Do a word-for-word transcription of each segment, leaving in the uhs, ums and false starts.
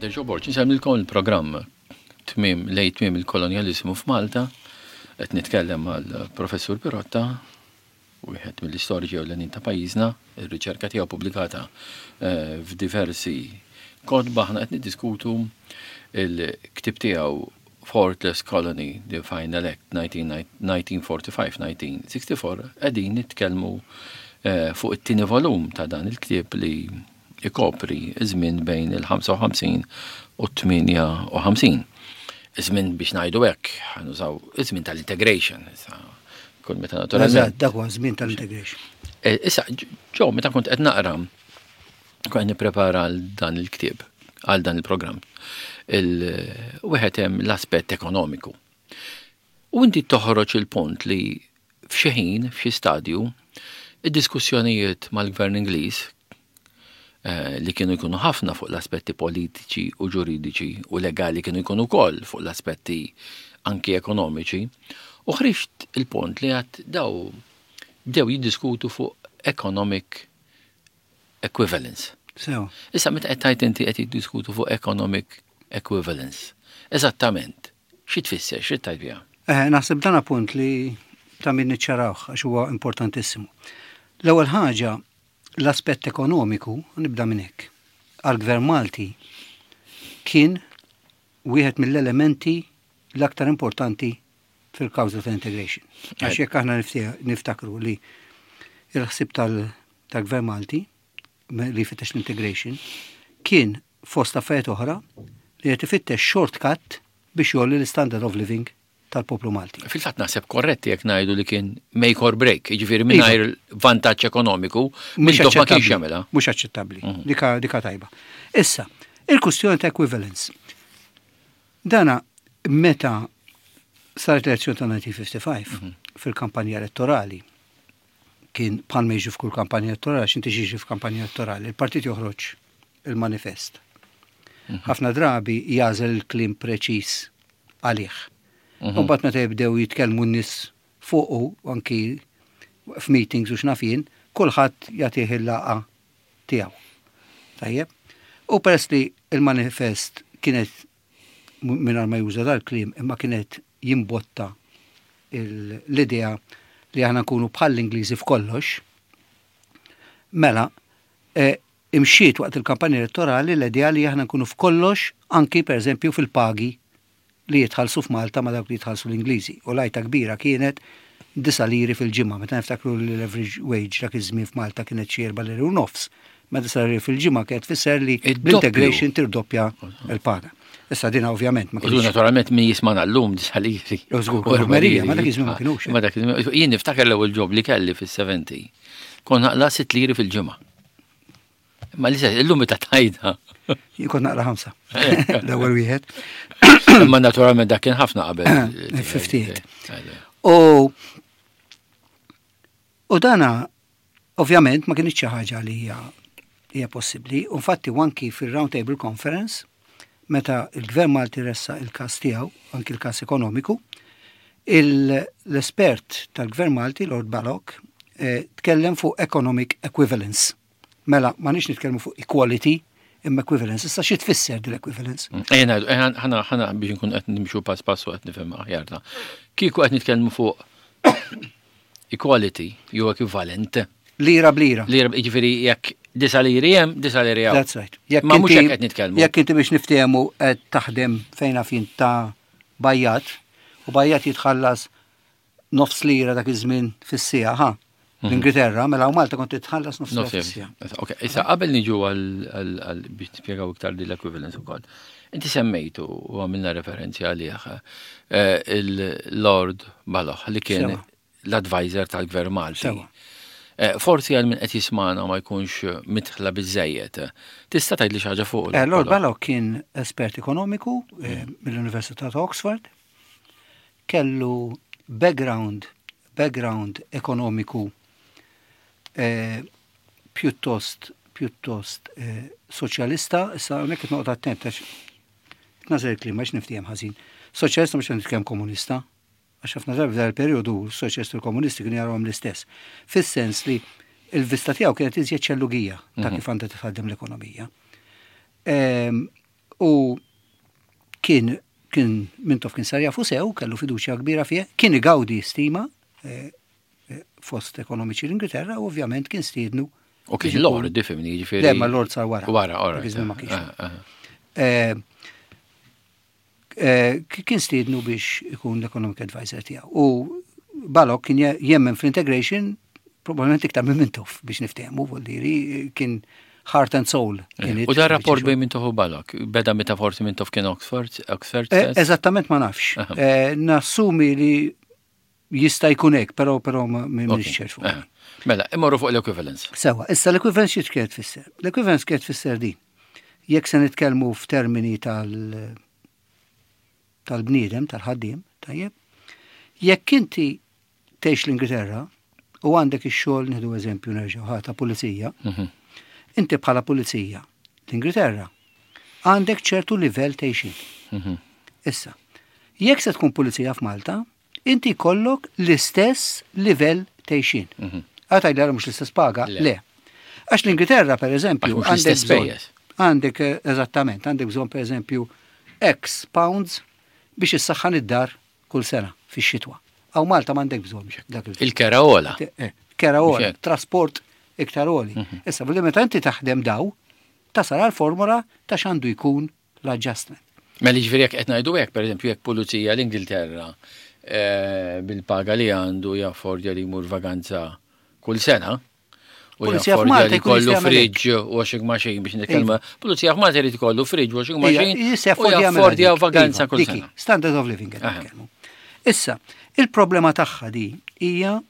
Pater Joe Borg, insellmilkom, il-programm tmiem lejn tmiem il-kolonjalizmu f'Malta, qed nitkellem mal-Professur Pirotta, wieħed mill-istoriċi ewlenin ta' pajjiżna, ir-riċerka tiegħu pubblikata eh, f'diversi kotba. Aħna qed niddiskutu il-ktieb tiegħu Fourth Colony, The Final Act nineteen forty-five nineteen sixty-four, qegħdin nitkellmu eh, fuq it-tieni volum ta' dan il-ktieb li ikopri iż-żmien bejn il-ħamsa u ħamsin u tmienja u ħamsin. Iż-żmien, biex ngħidu hekk, ħa nużaw iż-żmien tal-integration. Issa, kull meta naturalment. Eżatt, dak huwa żmien tal-integration. Eh, Issa, ġo, meta kont qed naqra, kont qed nipprepara għal dan il-ktieb, għal dan il-programm. Il-wieħed hemm l-aspett ekonomiku. U inti toħroġ il-punt li f'xi ħin, f'xi stadju, id-diskussjonijiet mal-gvern Ingliż eh, li kienu jkunu ħafna fuq l-aspetti politiċi u ġuridiċi u legali, kienu jkunu wkoll fuq l-aspetti anki ekonomiċi, u ħriġt il-punt li għat daw bdew jiddiskutu fuq economic equivalence. Sew. Issa, meta qed tgħid inti qed jiddiskutu fuq economic equivalence, eżattament, xi tfisser, xi tgħid biha? Eh, naħseb dan punt li ta' min niċċarawh għax huwa importantissimu. L-ewwel ħaġa, l-aspett ekonomiku, nibda minn hekk. Għal-Gvern Malti kien wieħed mill-elementi l-aktar importanti fil-kawża ta' integration. Għax jekk aħna niftakru li il-ħsib tal-Gvern Malti li jfittex l-integration kien, fost affarijiet oħra, li qed ifittex shortcut biex jgħolli l-standard of living tal-poplu Malti. Fil-fatt naħseb korretti jekk ngħidu li kien make or break, jiġifieri mingħajr vantaġġ ekonomiku, mhux ma kienx jagħmilha. Mhux aċċettabbli. Mhm. Dika, dika tajba. Issa, il-kustjoni ta' equivalence. Dana meta saret l-elezzjoni ta' elf disa' mija u ħamsa u ħamsin mhm. fil-kampanja elettorali, kien bħal ma jiġi f'kull kampanja elettorali, x'inti jiġi f'kampanja elettorali, il-partit joħroġ il-manifest. Mhm. Ħafna drabi jagħżel il-kliem preċis għalih. Mhm. U mbagħad meta jibdew jitkellmu n-nies fuqu, anki f'meetings u x'naf jien, kulħadd jagħtih il-laqgħa tiegħu. Tajjeb. U peress li il-manifest kienet mingħajr ma juża dal-kliem, imma kienet jimbotta l-idea li aħna nkunu bħall-Ingliżi f'kollox, mela, e, imxiet waqt il-kampanja elettorali l-idea li aħna nkunu f'kollox, anki per eżempju fil-pagi li jitħallsu f'Malta ma dawk li jitħallsu l-Ingliżi. U l-għajta kbira kienet disa' liri fil-ġimgħa, meta niftakru li l-average wage dak iż-żmien f'Malta kienet xi erba' liri u nofs. Ma disa' liri fil-ġimgħa kienet tfisser li l-integration tirdoppja l-paga. Issa dina ovvjament ma kienx. Naturalment min jismana llum, disa' liri. Żgur, Marija, ma dak iż-żmien ma kienux. Ma dak jien niftakar l-ewwel job li kelli fis-sebgħin. Kont naqla' sitt liri fil-ġimgħa. Ma li illum meta tajda. Jien kont naqla' ħamsa. L-ewwel wieħed. Ma naturalment dak kien ħafna qabel. ħamsa u ħamsin. U u dana ovvjament ma kienx xi ħaġa li hija hija possibbli. Infatti anki fil-Round Table Conference, meta il-Gvern Malti ressaq il-kas tiegħu, anki il-kas ekonomiku, l-espert tal-Gvern Malti, Lord Balogh, eh, tkellem fuq economic equivalence. Mela, ma nix nitkellmu fuq equality, imma equivalence. Issa, xi tfisser din equivalence? Ejja, ħana ħana biex nkun qed nimxu pass pass u qed nifhem aħjar ta' kieku qed nitkellmu fuq equality jew equivalent. Lira blira. Lira, jiġifieri jekk disa' liri hemm, disa' liri hawn. That's right. Jekk Ma mhux hekk qed nitkellmu. Jekk inti, biex niftehmu, qed taħdem fejn fin ta' bajjat u bajjat jitħallas nofs lira dak iż-żmien fis-siegħa, ha? Mhm. L-Ingilterra, mela u Malta kont titħallas nofs lira fis-siegħa. Ok, issa qabel niġu għal biex nispjegaw iktar din l-equivalence ukoll. Inti semmejtu u għamilna referenzi għalih eh, il-Lord Balogh li kien l-advisor tal-Gvern Malti. Eh, forsi għal min qed jismana ma jkunx midħla biżejjed. Tista' tgħid li xi ħaġa fuq? Eh, Lord Balogh kien espert ekonomiku mill-Università ta' Oxford. Kellu background background ekonomiku pjuttost pjuttost soċjalista, issa hawnhekk qed noqgħod attent għax nagħżel il-kliem għax niftiehem ħażin. Soċjalista mhux nitkellem komunista, għax ħafna drabi f'dan il-perjodu soċjalisti u komunisti kienu jarawhom l-istess. Fis-sens li il-vista tiegħu kienet iżjed xellugija ta' mhm. kif għandha titħaddem l-ekonomija. U kien kien Mintoff kien sar jafu sew, kellu fiduċja kbira fih, kien igawdi stima eh, eh, fost ekonomiċi l-Ingilterra u ovvjament kien stiednu. U kien lord, ifhimni, ġifieri. Le, ma lord sar wara. Wara, all Dak right. iż-żmien ma kienx. Ah, ah. Eh, eh, Kien stiednu biex ikun l-economic advisor tiegħu. U Balog kien je- jemmen fl-integration probabbilment iktar minn Mintoff biex niftehmu, vuol kien heart and soul in it. U da rapport bejn Mintoff u Balog, beda meta forsi Mintoff kien Oxford, Oxford Eh, stess? Eżattament ma nafx. Aha. Eh, Nassumi li jista' jkun hekk, però però ma Ok. m'iniex ċert fuq. Eh. Mela, immorru fuq l-equivalence. Sewa, issa l-equivalence xi kienet tfisser? L-equivalence kienet tfisser din. Jekk se nitkellmu f'termini tal tal-bniedem, tal-ħaddiem, tajjeb, jekk inti tgħix l-Ingilterra u għandek ix-xogħol nieħdu eżempju nerġgħu ħa ta' pulizija, Mhm. inti bħala pulizija l-Ingilterra għandek ċertu livell t'għixien. Mhm. Issa, jekk se tkun pulizija f'Malta, inti jkollok l-istess livell t'għixien. Mhm. Għataj li mhux l-istess paga? Le. Le. Għax l-Ingilterra, per eżempju, Għax mhux għandek l-istess bżonn- spejjeż. Għandek, eh, eżattament, għandek bżonn per eżempju X pounds biex issaħħan id-dar kull sena fix-xitwa. Hawn Malta m'għandek bżonn dak il Il-kera ogħla. Eh, Kera ogħla, Mhux hekk. trasport iktar għoli. Mhm. Issa, billi meta inti taħdem daw, tasal għal formula ta' x'għandu jkun l-adjustment. Mela ġifieri jekk qed ngħidu hekk, pereżempju jekk pulizija l-Ingilterra eh, bil-paga li għandu jaffordja li jmur vaganza kull sena, u Pulizija jaffordja f'Malta li jkun kollu jista' jagħmel hekk. fridge, washing machine biex nitkellmu. Pulizija f'Malta jrid ikollu fridge, washing machine, Jista' u jaffordja jagħmel jaffordja dik. vaganza Iva, kull dik sena. Standard of living qed Aha. nitkellmu. Issa, il-problema tagħha di hija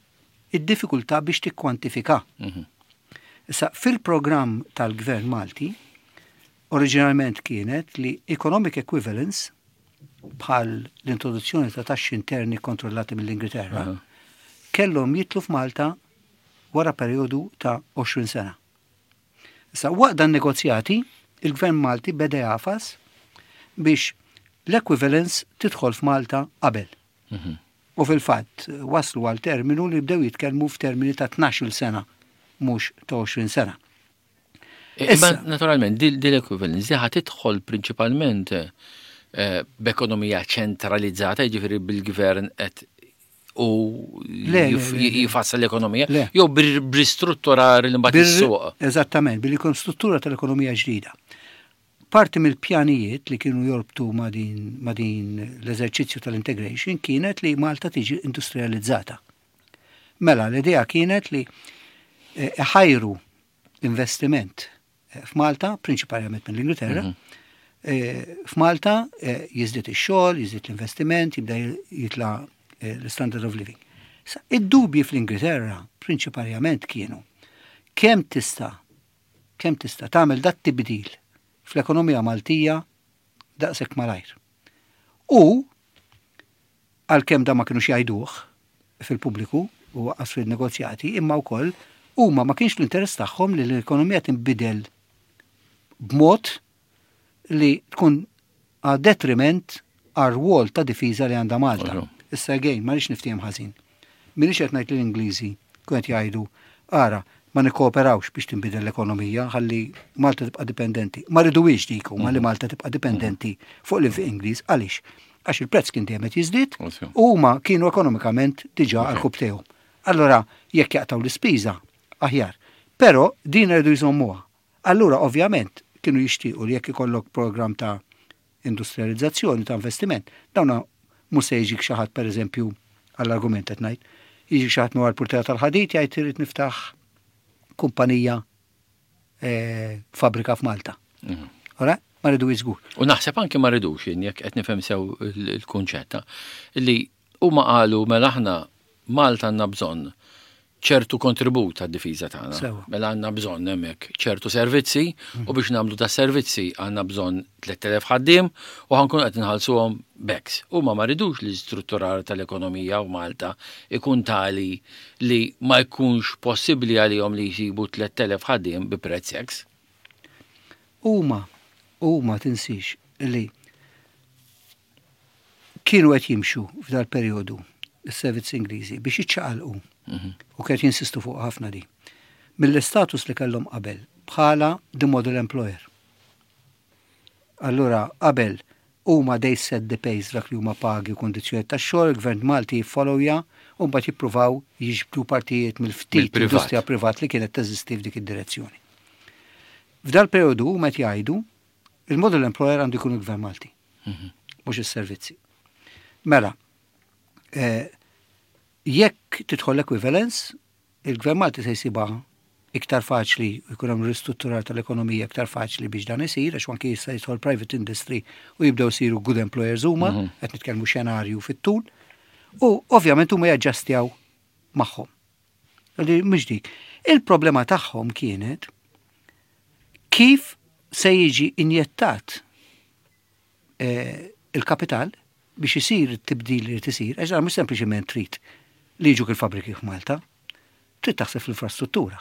id-diffikultà biex tikkwantifika. Mhm. Issa, fil-programm tal-Gvern Malti, oriġinalment kienet li economic equivalence bħal l-introduzzjoni ta' taxxi interni kontrollati mill-Ingilterra, Aha. kellhom jidħlu f'Malta wara perjodu ta' għoxrin sena. Issa, waqt dan negozjati, il-Gvern Malti beda jagħfas biex l-equivalence tidħol f'Malta qabel. Mhm. U fil-fatt waslu għal terminu li bdew jitkellmu f'termini ta' tnax-il sena, mhux ta' għoxrin sena. Imma Issa. naturalment, dil l-equivalence di ħa tidħol prinċipalment eh, b'ekonomija ċentralizzata, jiġifieri bil-gvern qed u Le, le, jif- le, le. jifassal l-ekonomija, Le. jew bir- b'ristrutturar li mbagħad Bir- is-suq. Eżattament, billi jkun struttura tal-ekonomija ġdida. Parti mill-pjanijiet li kienu jorbtu ma' din, ma' din l-eżerċizzju tal-integration kienet li Malta tiġi industrializzata. Mela, l-idea kienet li eh, ħajru investiment eh, f'Malta, prinċipalment mill-Ingilterra, Mhm. eh, f'Malta eh, jiżdied ix-xogħol, jiżdied l-investiment, jibda jitla eh, l-standard of living. Sa, id-dubji fl-Ingilterra prinċipalment kienu kemm tista' kemm tista' tagħmel dat tibdil fl-ekonomija Maltija daqshekk malajr. U għalkemm da ma kienux jgħiduh fil-pubbliku u waqqas fil-negozjati, imma wkoll huma ma kienx l-interess tagħhom li l-ekonomija tinbidel b'mod li tkun għad detriment għar rwol ta' difiża li għandha Malta. Oħra. Issa again, ma rridx niftiehem ħażin. M'iniex qed ngħid li l-Ingliżi kont jgħidu ara ma nikkooperawx biex tinbidel l-ekonomija ħalli Malta tibqa' dipendenti. Ma riduwiex dik huma li Malta tibqa' dipendenti fuq l-infiq Ingliż għaliex? Għax il-prezz kien dejjem qed jiżdied Ovvju. u huma kienu ekonomikament diġà għal tagħhom. Allora, jekk jaqtaw l-ispiża, aħjar. Però din rridu jżommuha. Allura, ovvjament, kienu jixtiequ li jekk ikollok program ta' industrializzazzjoni, ta' investiment, dawna mhux se jiġik xi ħadd pereżempju għall-argument qed ngħid, jiġik xi ħadd mwar purtera tal-ħadid jgħid irid niftaħ kumpanija eh, fabbrika f'Malta. Mhm. Ora, ma rridu żgur. U naħseb anke ma rridux jien jekk qed nifhem sew il- il-kunċett li huma qalu mela aħna Malta għandna bżonn ċertu kontribut għad-difiża tagħna. Sewa. Mela għandna bżonn hemmhekk ċertu servizzi u biex nagħmlu da servizzi għandna bżonn tliet elef ħaddiem u ħa nkun qed inħallsuhom b'X. Huma ma ridux li strutturar tal-ekonomija u Malta ikun tali li ma jkunx possibbli għalihom li jsibu tliet elef ħaddiem bi prezz X. Huma, huma tinsix li kienu qed jimxu f'dal perjodu is-servizzi Ingliżi biex jiċċaqalqu u kienet jinsistu fuq ħafna di. Mill-istatus li kellhom qabel bħala the model employer. Allura qabel huma they set the pace dak li huma pagi u kundizzjonijiet tax-xogħol, il-Gvern Malti jiffollowja u mbagħad jippruvaw jiġbdu partijiet mill-ftit Mill-privat. industrija privat li kienet teżisti f'dik id-direzzjoni. F'dal periodu huma qed jgħidu il-model employer għandu jkun il-Gvern Malti, mhux is-servizzi. Mela, eh, jekk tidħol equivalence, il-Gvern Malti se jsibha iktar faċli jkun hemm ristrutturar tal-ekonomija iktar faċli biex dan isir, għax anki jista' jidħol private industry u jibdew isiru good employers huma, qed nitkellmu xenarju fit-tul, u ovvjament huma jaġġastjaw magħhom. Li mhux dik. Il-problema tagħhom kienet kif se jiġi injettat eh, il-kapital biex isir it-tibdil li tisir, għax dan mhux sempliċement trid li jiġuk il-fabriki f'Malta, trid taħseb fl-infrastruttura.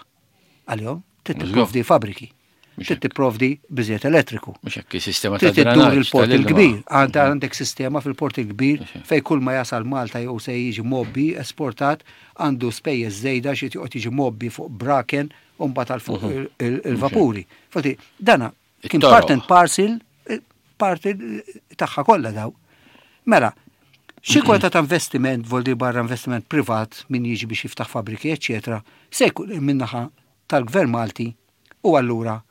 Għalihom, trid Mhux tipprovdi fabriki, Mhux trid tipprovdi biżejjed elettriku. Mhux hekk is-sistema ta' Trid iddur drenaġġ il-port tal-ilma. il-kbir, għandha għandek sistema fil-port il-kbir Mhux hekk. fej kull ma jasal Malta jew se jiġi mgħobbi esportat għandu spejjeż żejda xi joqgħod jiġi mgħobbi fuq braken u mbagħad għal fuq il- il- il-vapuri. Fatti, dana kien It-toroq. part and parcel, eh, parti tagħha kollha daw. Mela, xi kwalità ta' investiment, voldi barra investiment privat min jiġi biex jiftaħ fabriki, eċetera, se jkun min-naħa tal-Gvern Malti u allura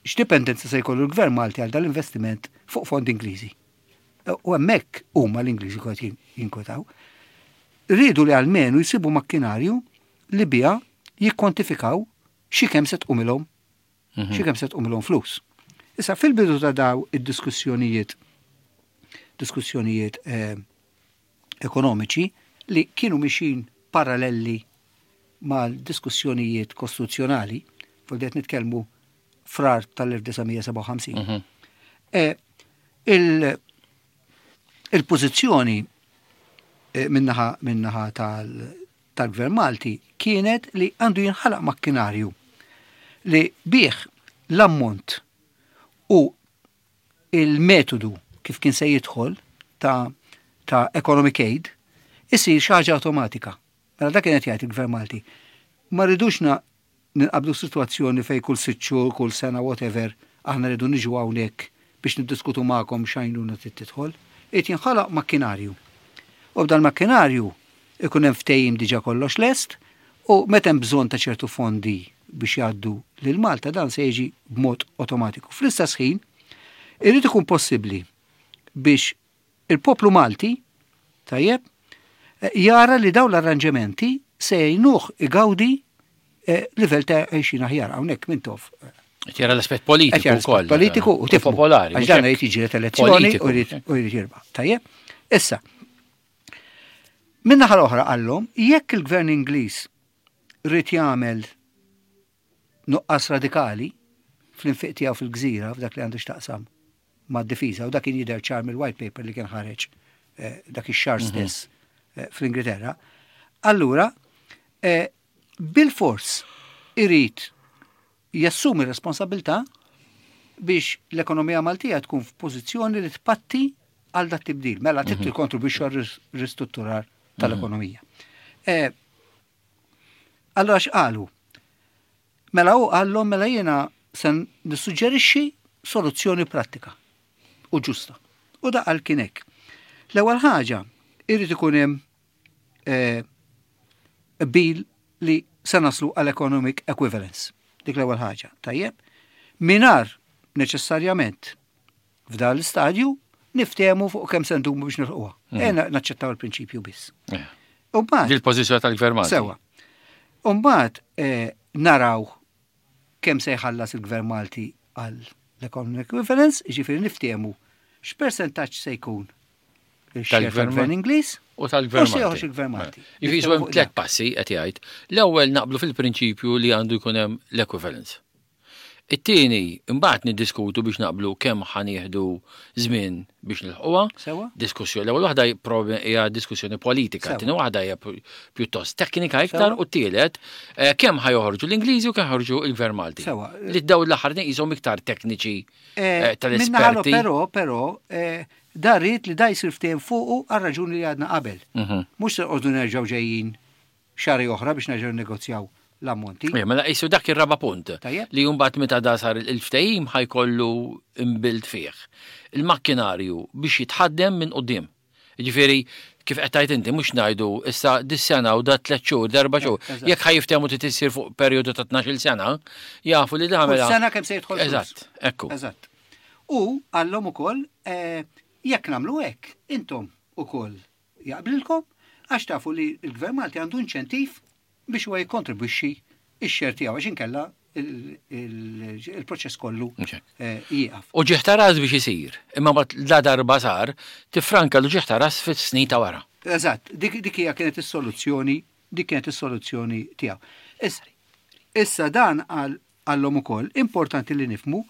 x'dipendenza se jkollu l-Gvern Malti għal dal-investiment fuq fond Ingliżi. U hemmhekk huma l-Ingliżi kont jinkwetaw. Rridu li almenu jsibu makkinarju li bija jikkwantifikaw xi kemm se tqumilhom xi kemm se tqumilhom flus. Issa fil-bidu ta' daw id-diskussjonijiet diskussjonijiet eh, ekonomiċi li kienu mixin parallelli mal-diskussjonijiet kostituzzjonali, fuq qed nitkellmu frar tal-elf disa' mija sebgħa u ħamsin. Mhm. Eh, il- Il-pożizzjoni eh, minnaħa minnaħa tal- tal-Gvern Malti kienet li għandu jinħalaq makkinarju li bih l-ammont u il-metodu kif kien se jidħol ta', ta' economic aid isir xi ħaġa automatika. Mela dak kienet jgħid il-Gvern Malti. Ma rridux na ninqabdu situazzjoni fej kull sitt xhur, kull sena, whatever, aħna rridu niġu hawnhekk biex niddiskutu magħkom x'għajnuna trid tidħol. Irid jinħalaq makkinarju. U b'dan makkinarju ikun hemm ftehim diġà kollox lest u meta hemm bżonn ta' ċertu fondi biex jgħaddu lil Malta dan se jiġi b'mod automatiku. Fl-istess ħin, irid ikun possibbli biex il-poplu Malti, tajjeb, eh, jara li daw l-arranġamenti se jgħinuh igawdi eh, livell ta' għajxin aħjar hawnhekk Mintoff. Qed jara l-aspett politiku Qed jara l-aspett wkoll. Politiku u tifhmu. Popolari. Għax mhux dan hekk. jrid jiġi elezzjoni Politiku, u jrid u jrid jirbaħ. Tajjeb? Issa, Min-naħa l-oħra qallhom, jekk il-gvern Ingliż rrid jagħmel nuqqas radikali fl-infiq tiegħu fil-gżira f'dak li għandu x'taqsam mad-difiża u dak kien jidher ċar mill-white paper li kien ħareġ eh, dak ix-xahar stess eh, fl-Ingilterra. Allura, eh, bil-fors irid jassumi responsabilità biex l-ekonomija Maltija tkun f'pożizzjoni li tpatti għal dat tibdil. Mela trid tikkontribwixxu għal ristrutturar tal-ekonomija. Eh, Allora x'qalu? Mela u qallhom mela jiena se nissuġġerixxi soluzzjoni prattika u ġusta. U da qal kien hekk. L-ewwel ħaġa irid ikun hemm eh, bil li se naslu għal economic equivalence. Dik l-ewwel ħaġa. Tajjeb? Mingħajr neċessarjament f'dan l-istadju niftehmu fuq kemm se ndumu biex nilħquha. Mm. Naċċettaw il-prinċipju biss. Eh. U mbagħad Di l-pożizzjoni tal-Gvern Malti. Sewa. U mbagħad eh, naraw kemm se jħallas il-Gvern Malti għal l-economic equivalence, jiġifieri niftehmu x'persentaġġ se jkun il-share Tal-Gvern tal-Gvern Ingliż U tal-Gvern u se joħroġ Malti. il-Gvern Malti. Jiġifieri Niftehmu hemm fuq tliet dak. passi qed jgħid. L-ewwel naqblu fil-prinċipju li għandu jkun hemm l-equivalence. It-tieni, imbagħad niddiskutu biex naqblu kemm ħa nieħdu żmien biex nilħquha. Sewa? Diskussjoni. L-ewwel waħda prob- hija diskussjoni politika, Sewa. tieni waħda hija pu- pjuttost teknika iktar Sewa. u t-tielet eh, kemm ħa joħorġu l-Ingliżi u kemm ħorġu il-Gvern Malti. Sewa. Li daw l-aħħar qishom iktar tekniċi Eh, eh, Min-naħa tal-esperti. Però, però, eh, da rrid li da jsir ftehim fuqu għal raġuni li għadna qabel. Mhm. Mhux se nqogħdu nerġgħu ġejjin xahar oħra biex nerġgħu negozjaw l-ammonti. Mela qisu dak ir-raba punt. Tajjeb. Li mbagħad meta da sar il-ftehim ħa jkollu imbilt fih. Il-makkinarju biex jitħaddem minn quddiem. Ġifieri, kif qed tgħid inti, mhux ngħidu issa dis-sena u da tliet xhur, darba xhur. Eżatt. Jekk ħa jiftehmu trid issir fuq perjodu ta' tnax-il sena, jafu li da Kull mela. sena kemm se jidħol flus. Eżatt, ekku. Eżatt. U għallhom ukoll eh, jekk nagħmlu hekk, intom ukoll jaqblilkom, għax tafu li l-Gvern Malti għandu inċentiv biex huwa jikkontribwixxi x-share tiegħu, għax inkella il- il- il-proċess kollu Mhux hekk. eh, jieqaf. U uġigħ ta' ras biex isir, imma mbagħad la darba sar, tifranka l-uġigħ ta' ras fis-snin ta' wara. Eżatt, dik dik hija kienet is-soluzzjoni, dik kienet is-soluzzjoni tiegħu. Issa, issa dan għal għallhom ukoll importanti li nifhmu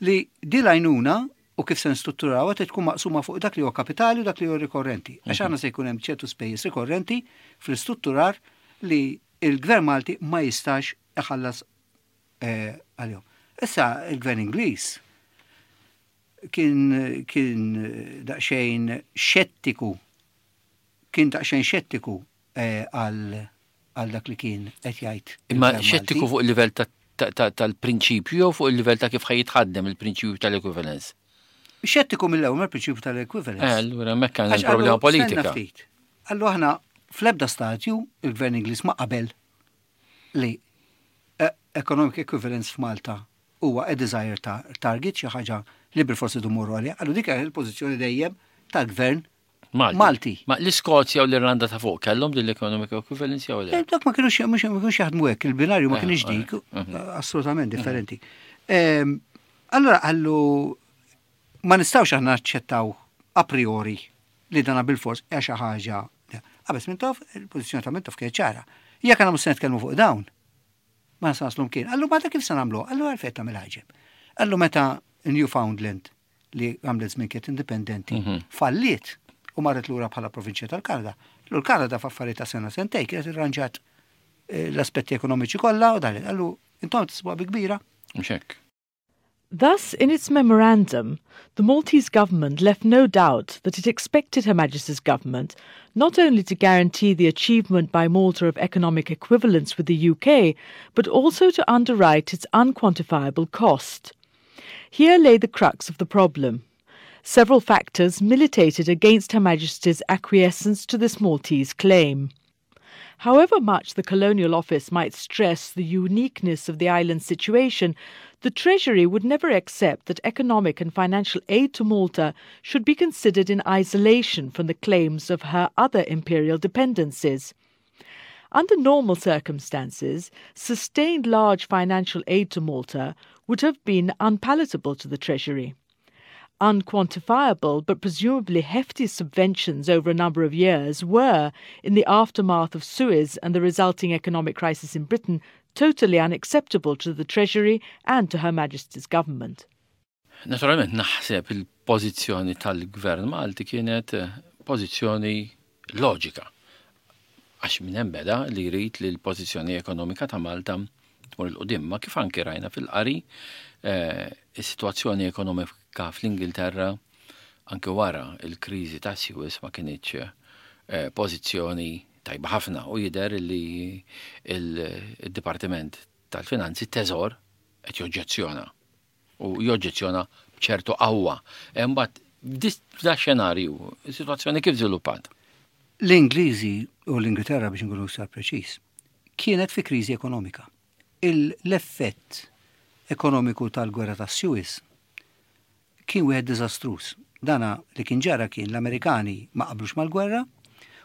li di l-għajnuna u kif se nstrutturawha trid tkun maqsuma fuq dak li huwa kapitali u dak li huwa rikorrenti. Għax aħna se jkun hemm ċertu spejjeż rikorrenti fl-istrutturar li il-Gvern Malti ma jistax iħallas eh, għalihom. Issa il-Gvern Ingliż kien kien daqsxejn xettiku kien daqsxejn xettiku eh, għal għal dak li kien qed jgħid Imma il-Gvern xettiku Malti. Fuq il-livell ta- ta- ta- tal-prinċipju jew fuq il-livell ta' kif ħa jitħaddem il-prinċipju tal-equivalence? Xettiku mill-ewwel mal-prinċipju tal-equivalence. Eh, allura hemmhekk kan Għax il-problema qallu, politika. stenna ftit. Qallu aħna fl-ebda stadju il-Gvern Ingliż ma qabel li eh, economic equivalence f'Malta huwa a desired ta- target, xi ħaġa li bil-forsi mmorru għaliha. Qallu dik hija il-pożizzjoni dejjem tal-Gvern Malti. Malti. Ma l-Iskozja u l-Irlanda ta' fuq kellhom din l-economic equivalence jew le? Eh, Dak ma kienux mhux ma kienux jaħdmu hekk, il-binarju ma Eh, kienx eh, dik, mhm. assolutament differenti. Ehm, Allora qallu ma nistgħux aħna naċċettaw a priori li dana bil-fors hija xi ħaġa. Qabes Mintoff, il-pożizzjoni ta' Mintoff kienet ċara. Jekk aħna mhux se nitkellmu fuq dawn, ma nistgħu naslu mkien. Qallu ma kif se nagħmlu? Qallu għalfejn tagħmel ħaġeb. Qallu meta Newfoundland, li għamlet żmien kienet indipendenti, Mhm. falliet u marret lura bħala provinċja tal-Kanada. L-Kanada f'affarijiet ta' sena sentej kienet irranġat eh, l-aspetti ekonomiċi kollha u dan. Qallu intom tisbuha bi kbira. Mhux hekk. Thus, in its memorandum, the Maltese government left no doubt that it expected Her Majesty's government not only to guarantee the achievement by Malta of economic equivalence with the U K, but also to underwrite its unquantifiable cost. Here lay the crux of the problem. Several factors militated against Her Majesty's acquiescence to this Maltese claim. However much the Colonial Office might stress the uniqueness of the island's situation, the Treasury would never accept that economic and financial aid to Malta should be considered in isolation from the claims of her other imperial dependencies. Under normal circumstances, sustained large financial aid to Malta would have been unpalatable to the Treasury. Unquantifiable but presumably hefty subventions over a number of years were, in the aftermath of Suez and the resulting economic crisis in Britain, totally unacceptable to the Treasury and to Her Majesty's government. Naturalment naħseb il-pożizzjoni tal-Gvern Malti kienet eh, pożizzjoni loġika. Għax minn hemm beda li jrid li l-pożizzjoni ekonomika ta' Malta tmur 'il quddiem, ma kif anki rajna fil-qari, eh, is-sitwazzjoni ekonomika fl-Ingilterra anke wara il-kriżi ta' Suez ma kinitx eh, pożizzjoni tajba ħafna u jidher li il-Dipartiment tal-Finanzi, Teżor, qed joġġezzjona u joġġezzjona b'ċertu qawwa. Imbagħad f'da xenarju, is-sitwazzjoni kif żviluppat? L-Ingliżi u l-Ingilterra, biex nkunu iktar preċiż, kienet fi kriżi ekonomika. L-effett ekonomiku tal-gwerra ta' Suez kien wieħed diżastruż. Dana li kien ġara kien l-Amerikani ma qablux mal-gwerra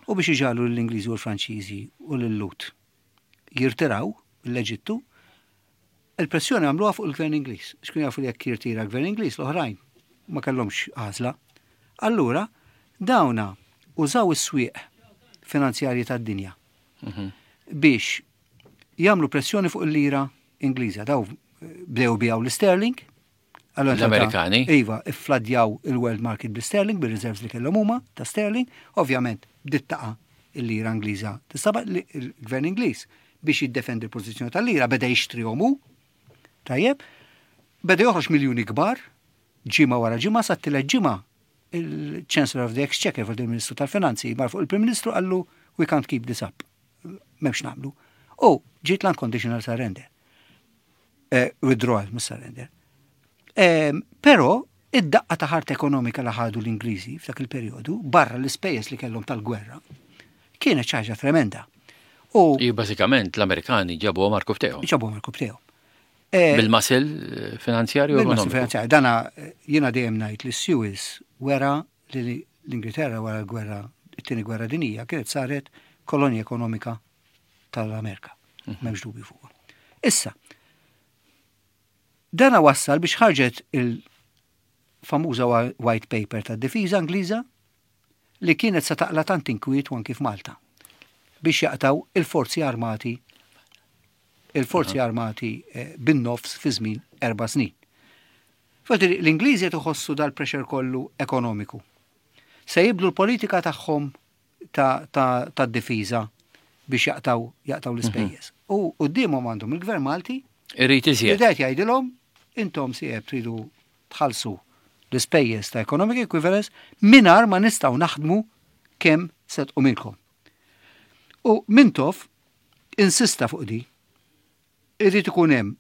u biex iġagħlu l-Ingliżi u l-Franċiżi u l-Lhud jirtiraw l-Eġittu, il-pressjoni għamluha fuq il-Gvern Ingliż. Xkun jafu li jekk jirtira l-Gvern Ingliż, l-oħrajn ma kellhomx għażla. Allura, dawna użaw is-swieq finanzjarji tad-dinja biex jagħmlu pressjoni fuq il-lira Ingliża. Daw eh, bdew ibigħu l-sterling. Allora, L-Amerikani? Iva, iffladjaw il-world market bil-sterling, bil-reserves li kellhom huma ta' sterling. Ovvjament, bdiet taqa' il-lira Ingliża. Tistaba li il-Gvern Ingliż biex jiddefendi l-pożizzjoni tal-lira beda jixtrihom hu. Tajjeb, beda joħroġ miljuni kbar, ġimgħa wara ġimgħa, sa t-tielet ġimgħa il-Chancellor of the Exchequer, il-Ministru tal-Finanzi, mar fuq il-Prim Ministru, qallu: "We can't keep this up. M'hemmx nagħmlu." U ġiet l-unconditional surrender. Eh, withdrawal, mhux surrender. Eh, Però id-daqqa ta' ħart ekonomika li ħadu l-Ingliżi f'dak il-perjodu, barra l-ispejjeż li kellhom tal-gwerra, kienet xi ħaġa tremenda. U bażikament l-Amerikani ġabu għar-rkupptejhom. Ġabu għar-rkupptejhom. Eh, bil-muscle finanzjarju. Bil-muscle finanzjarju. Dana jiena dejjem ngħid li Suez wera li l-Ingilterra wara l-gwerra, it-tieni gwerra dinija, kienet saret kolonja ekonomika tal-Amerika. Mhm. M'hemmx dubju fuq. Issa, dana wassal biex ħarġet il-famuża white paper tad-difiża Ingliża li kienet sa taqla tant inkwiet anki f'Malta biex jaqtaw il-forzi armati il-forzi armati eh, bin-nofs fi żmien erba' snin. Fatti l-Ingliżi qed iħossu dal-pressure kollu ekonomiku. Se jibdlu l-politika tagħhom ta' difiża biex jaqtaw jaqtaw l-ispejjeż. Mhm. U quddiemhom għandhom il-Gvern Malti. Irrid iżjed. Irid jgħidilhom: intom sieb tridu tħallsu l-ispejjeż ta' economic equivalence mingħajr ma nistgħu naħdmu kemm se tqumilkom. U Mintoff insista fuq di. Irrid ikun hemm,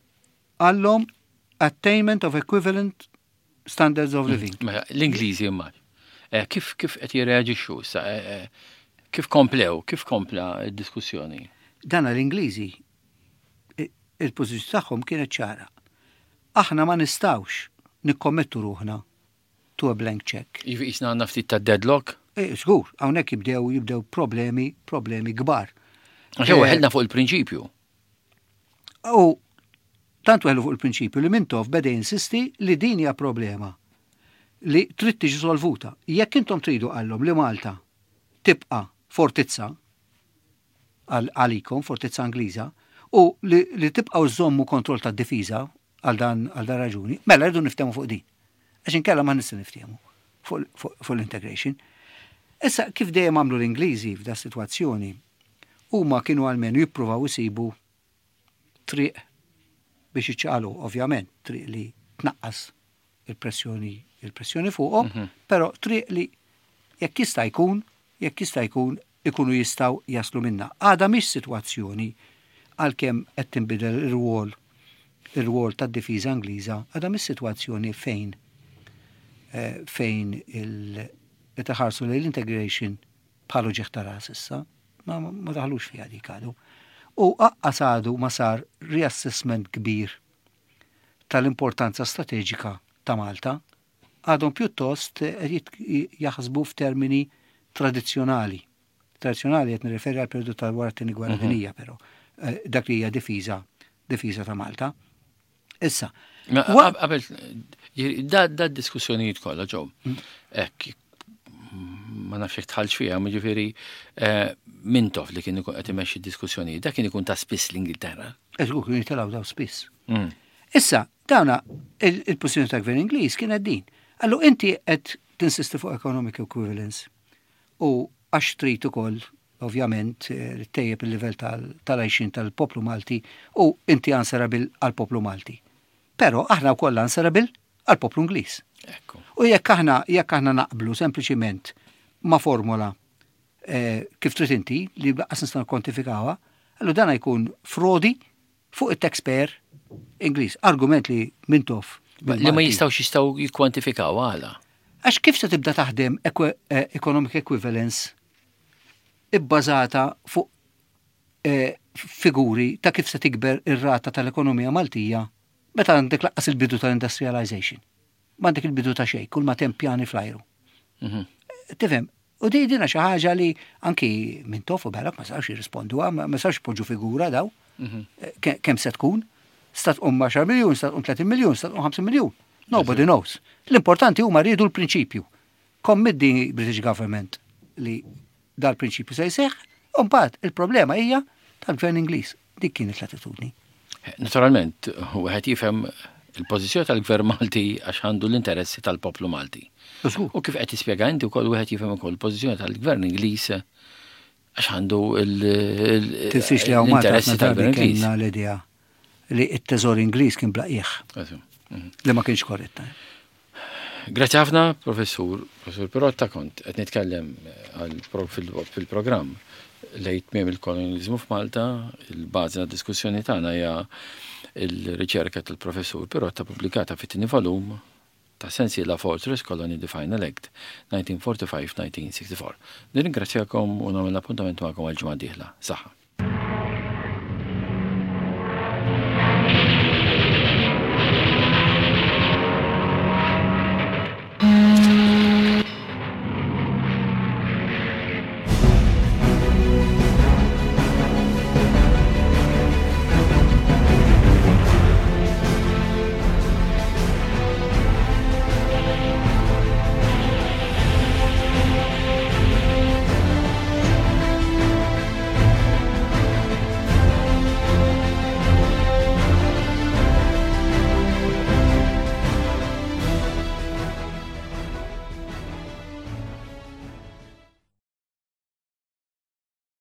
għallhom, attainment of equivalent standards of living. Mela, l-Ingliżi imma. Eh, kif kif qed jirreaġixxu issa? Eh, eh, kif komplew, kif kompla d-diskussjoni? Dana l-Ingliżi il-pożizzjoni tagħhom kienet ċara. Aħna ma nistgħux nikkommettu ruħna to a blank check. Jisna għandna ftit ta' deadlock? Eh, Żgur, hawnhekk jibdew jibdew problemi, problemi kbar. Għax weħelna fuq il-prinċipju. U tant weħlu fuq il-prinċipju li Mintoff beda insisti li din hija problema li trid tiġi solvuta. Jekk intom tridu, għallhom, li Malta tibqa' fortizza għalikom, fortizza Ingliża, u li, li tibqgħu żommu kontroll tad-difiża għal dan għal dan raġuni, mela rridu niftehmu fuq din. Għax inkella ma nistgħu niftehmu fuq fuq l-integration. Issa, kif dejjem għamlu l-Ingliżi f'da sitwazzjoni, huma kienu għalmenu jippruvaw isibu triq biex iċċaqalu, ovvjament, triq li tnaqqas il-pressjoni il-pressjoni fuqhom, mm -hmm. però triq li jekk jista' jkun, jekk jista' jkun ikunu jistgħu jaslu minna. Għada mhix sitwazzjoni, għalkemm qed tinbidel ir-rwol ir-rwol tad-difiża Ingliża, għada mhix sitwazzjoni fejn eh, fejn il qed iħarsu lejn l-integration bħalu ġieħ ta' ras issa, ma, ma daħlux fiha dik għadu. U aqqas għadu ma sar reassessment kbir tal-importanza strateġika ta' Malta, għadhom pjuttost jaħsbu f'termini tradizzjonali. Tradizzjonali qed nirreferi għal periodu tal wara t-tieni gwerra mhm. dinjija, però eh, dak li hija difiża difiża ta' Malta. Issa. Qabel, da, da diskussjonijiet kollha ġew. Mm. Ek, ma nafx jekk tħallx fiha, ma ġifieri eh, Mintoff li kien ikun qed imexxi diskussjonijiet, dak kien ikun ta' spiss l-Ingilterra. Eżgur, kien jitilgħu daw spiss. Mm. Issa, dawna il-pożizzjoni ta' gvern Ingliż kienet din. Allu inti qed tinsisti fuq economic equivalence u għax trid ukoll ovvjament eh, tejjeb il-livell tal-għajxin tal-poplu Malti u inti answerable għal-poplu Malti. Però aħna wkoll answerable għal-poplu Ingliż. U jekk aħna jekk aħna naqblu sempliċiment ma' formola eh, kif trid inti li lanqas nistgħu kwantifikawha, allu dan jkun frodi fuq it-taxpayer Ingliż. Argument li Mintoff Li ma jistgħux jistgħu jikkwantifikaw għala. Għax kif se tibda taħdem eh, economic equivalence ibbażata fuq eh, figuri ta' kif se tikber ir-rata tal-ekonomija Maltija meta għandek lanqas il-bidu tal-industrialization? M'għandek il-bidu ta' xejn, kull ma hemm pjani fl-ajru. Mhm. Tifhem, u di dina xi ħaġa li anki Mintoff u Barrack ma sawx jirrispondu, ma sawx poġġu figura daw. Mhm. Kemm se tkun? Sta tqum għaxar miljun, sta tqum tletin miljun, sta tqum ħamsin miljun. Nobody knows. L-importanti huma rridu l-prinċipju. Commit the British government li dal-prinċipju se jseħħ, u mbagħad il-problema hija tal-gvern Ingliż. Dik kienet l-attitudni. Naturalment, wieħed jifhem il-pożizzjoni tal-gvern Malti għax għandu l-interessi tal-poplu Malti. U kif qed tispjega inti wkoll, wieħed jifhem ukoll il-pożizzjoni tal-gvern Ingliż għax għandu l-interessi tal-gvern Ingliż. L-idea li t-teżor Ingliż kien bla qiegħ. Mhm. Li ma kienx korretta. Grazzi ħafna, professur, professur Pirotta, kont qed nitkellem fil-programm Lejn tmiem il-kolonializmu f'Malta. Il-bażi ta' diskussjoni tagħna hija il-riċerka tal-professur Pirotta, pubblikata fit-tieni volum ta' sensiela Fortress Colony: The Final Act elf disa' mija u erbgħa u erbgħin-elf disa' mija u sitta u sittin. Nirringrazzjakom u nagħmel appuntament magħkom għal ġimgħa dieħla. Saħħa.